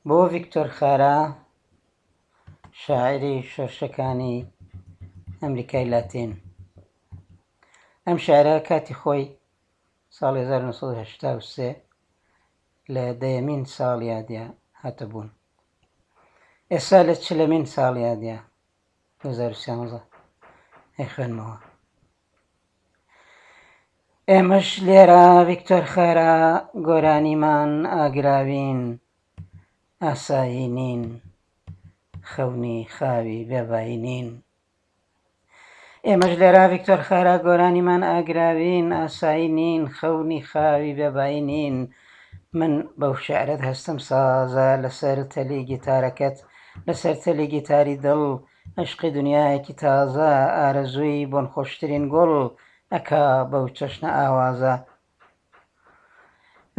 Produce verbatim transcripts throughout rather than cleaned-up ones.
بۆ ڤیکتۆر خارا، شاعیری شۆرشەکانی ئەمریکای لاتین. ئەم شعرە کاتی خۆی ساڵی هەزار و نۆ سەد و هەشتا و سێ لە دەیەمین ساڵیادیا هاتە بوون. ئێستا لە چلەمین ساڵیادیا دوو هەزار و سیانزە ئەیخوێنمەوە. ئێمەش لێرە ڤیکتۆر خارا گۆرانیمان ئاگراوین، ئاسایی نین، خەونی خاوی بێبایی نین. ئێمەش لێرە ڤیکتۆر خارا گۆرانیمان ئاگراوین، ئاسایی نین، خەونی خاوی بێبایی نین. من بەو شعرەت هەستم سازە لەسەر تەلی گیتارەکەت، لەسەر تەلی گیتاری دڵ، عشقی دنیایەکی تازە، ئارەزووی بۆنخۆشترین گوڵ ئەکا بەو چەشنە ئاوازە.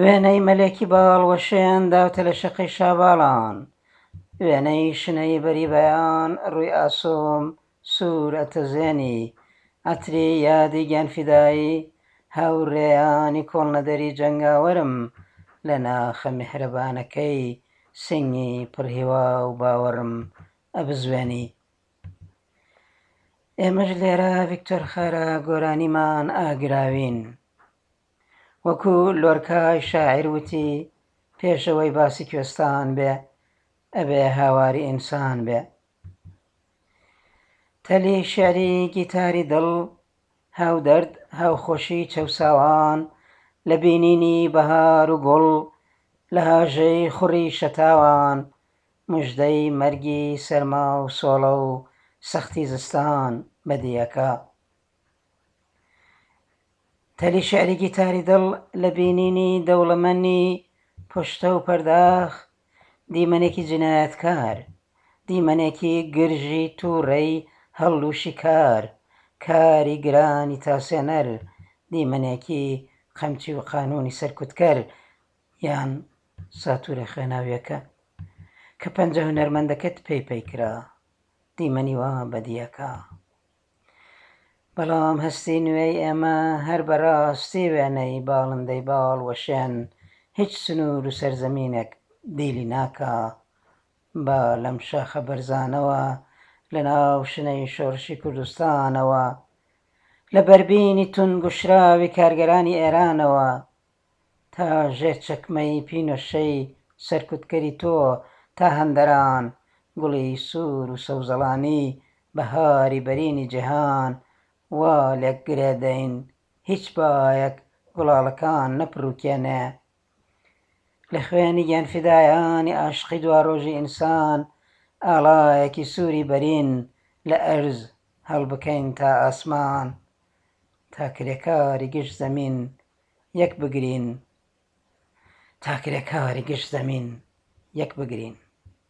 وێنەی مەلێکی باڵ وەشێن داوتە لە شەقەی شاباڵان، وێنەی شنەی بەری بەیان ڕووی ئاسۆم سوور ئەتەزێنی، عەتری یادی گیانفیدایی هاوڕێیانی کۆڵنەدەری جەنگاوەرم لە ناخە میهرەبانەکەی سنگی پڕهیوا و باوەڕم ئەبزوێنی. ئێمەش لێرە ڤیکتۆر خارا گۆرانیمان ئاگراوین. وەکو لۆرکای شاعیر وتی پێشەوەی باسی کوێستان بێ ئەبێ هاواری ئینسان بێ. تەلی شعری گیتاری دڵ، هاودەرد هاوخۆشی چەوساوان، لە بینینی بەهار و گوڵ، لە هاژەی خوڕی شەتاوان، مژدەی مەرگی سەرما و سۆڵە و سەختی زستان بەدیەکە. تەلی شعری گیتاری دڵ لە بینینی دەوڵەمەنی پشتە و پەرداخ، دیمەنێکی جینایەتکار، دیمەنێکی گرژی تووڕەی هەڵلووشی کار، کاری گرانی تاسێنەر، دیمەنێکی قەمچی و قانونی سەرکوتکەر، یان ساتورە خوێناویەکە کە پەنجە هونەرمەندەکەت پێی پەی کرا، دیمەنی وا بەدیەکە. بەڵام هەستی نوێی ئێمە هەر بەڕاستی وێنەی باڵندەی باڵ وەشێن، هیچ سنوور و سەرزەمینێک دیلی ناکا. با لەم شاخە بەرزانەوە، لە ناو شنەی شۆڕشی کوردستانەوە، لە بەربینی تونگ و شراوی کارگەرانی ئێرانەوە، تا ژێر چەکمەی پینۆشەی سەرکوتکەری تۆ، تا هەندەران گوڵی سوور و سەوزەڵانی بەهاری بەرینی جیهان وا لێک گرێدەین، هیچ بایەک گوڵاڵەکان نەپڕوکێنێ. لە خوێنی گیانفیدایانی عاشقی دواڕۆژی ئینسان، ئاڵایەکی سووری بەرین لە ئەرز هەڵبکەین تا ئاسمان، تا کرێکاری گشت زەمین یەک بگرین، تا کرێکاری گشت زەمین یەک بگرین.